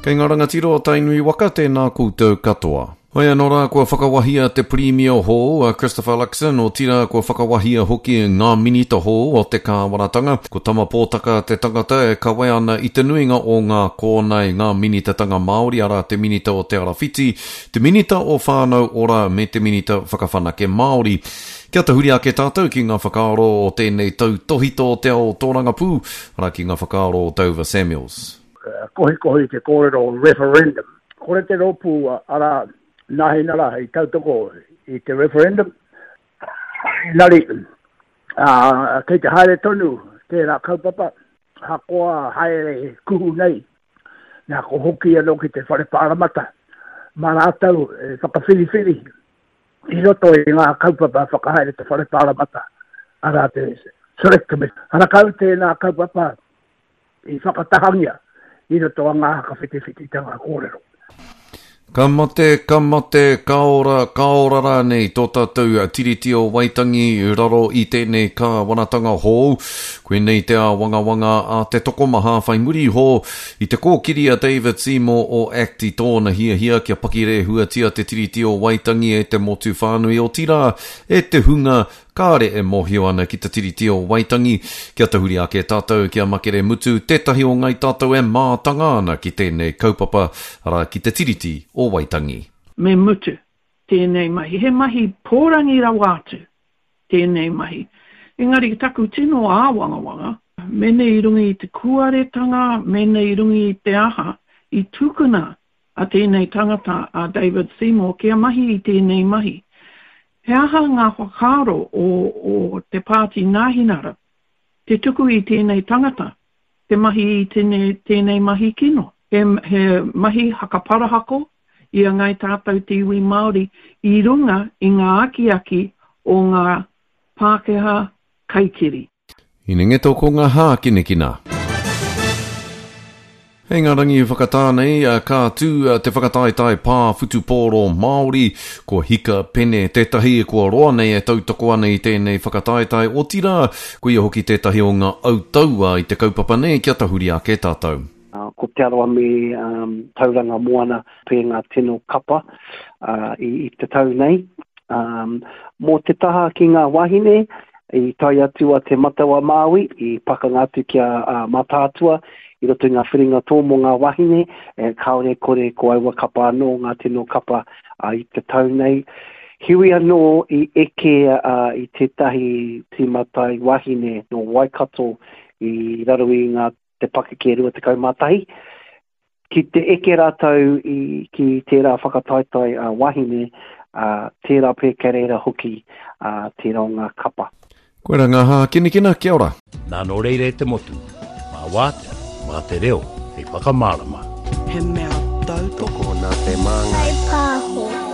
Kei ngā rangatira o Tainui waka, tēnā koutou katoa. Hoi anō rā kua whakawahia te Pirimia hou a Christopher Luxon, otirā kua whakawahia hoki ngā minita hou o te kāwanatanga. Ko Tama Pōtaka te tangata e kawe ana i te nuinga o ngā kōnae, ngā minitatanga Māori, arā te Minita o Te Arawhiti, te Minita o Whānau Ora me te Minita Whakawhanake Māori. Kia tahuri ake tātou ki ngā whakaaro o tēnei tautōhito o te ao tōrangapū, arā ki ngā whakaaro o Dover Samuels. Kohikohi te kōrero referendum. Kore te rōpū arā Nāhinara i tautoko i te referendum, engari kei te haere tonu tērā kaupapa, ahakoa haere kuhu nei, nā ko hoki anō ki te whare pāremata, mā rātou e whakawhiriwhiri i roto i ngā kaupapa whakahaere te whare pāremata, arā te Select Committee. Harakau tēnā kaupapa i whakatahangia i roto a ngā whakawhitiwhititanga kōrero. Ka mate, ka mate, ka ora, ka ora rānei tō tātou Tiriti o Waitangi i raro i tēnei kāwanatanga hou. Koinei te āwangawanga a te tokomaha whai muri iho i te kōkiri a David Seymour o act i tōna hiahia kia pakirēhuatia te Tiriti o Waitangi e te motu whānui otirā e te hunga kāre e mōhio ana ki te Tiriti o Waitangi. Kia tahuri ake tātou ki a Makere Mutu, tētahi o ngai tātou e mātanga ana ki tēnei kaupapa, arā ki te Tiriti o Waitangi. Me mutu tēnei mahi. He mahi pōrangi rawa atu tēnei mahi. Engari taku tino āwangawanga, mene i runga i te kuaretanga, mene i runga i te aha, i tukuna a tēnei tangata a David Seymour kia mahi i tēnei mahi. He aha ngā whakaaro o o te Pāti Nāhinara te tuku i tēnei tangata te mahi i tēnei tēnei mahi kino? He he mahi hakaparahako i a Ngāi Tātou te iwi Māori i runga i ngā akiaki o ngā Pākehā kaikiri. Hinengeto ko ngā hākinakina. Hei ngā rangi whakatā nei, ka tū te whakataetae pā whutupōro Māori, ko Hika Pene tētahi kua roa nei e tautoko ana i tēnei whakataetae, otirā, ko ia hoki tētahi o ngā autaua i te kaupapa nei kia tahuri ake tātou. Ko Te Arawa me Tauranga Moana pē ngā tino kapa i te tau nei. Mō te taha ki ngā wāhine, i tae atu a Te Matau-a-Māui, i pakanga atu ki a Mātaatua i roto i ngā whiringa tō mō ngā wāhine, kāore e kore ko aua kapa anō ngā tino kapa i te tau nei. Heoi anō i eke i tētahi tīma tai wāhine nō Waikato i raro i ngā te pakeke 21, ki te eke rātou i, ki tērā whakataetae a wahine, ā, tērā pea kei reira hoki ā, tērā o ngā kapa. Koira ngā hākinakina, kia ora. Nā nō reira e te motu, mā Wātea, mā te reo hei whakamārama. He mea tautoko. Tokona te māngai. Whai pāho.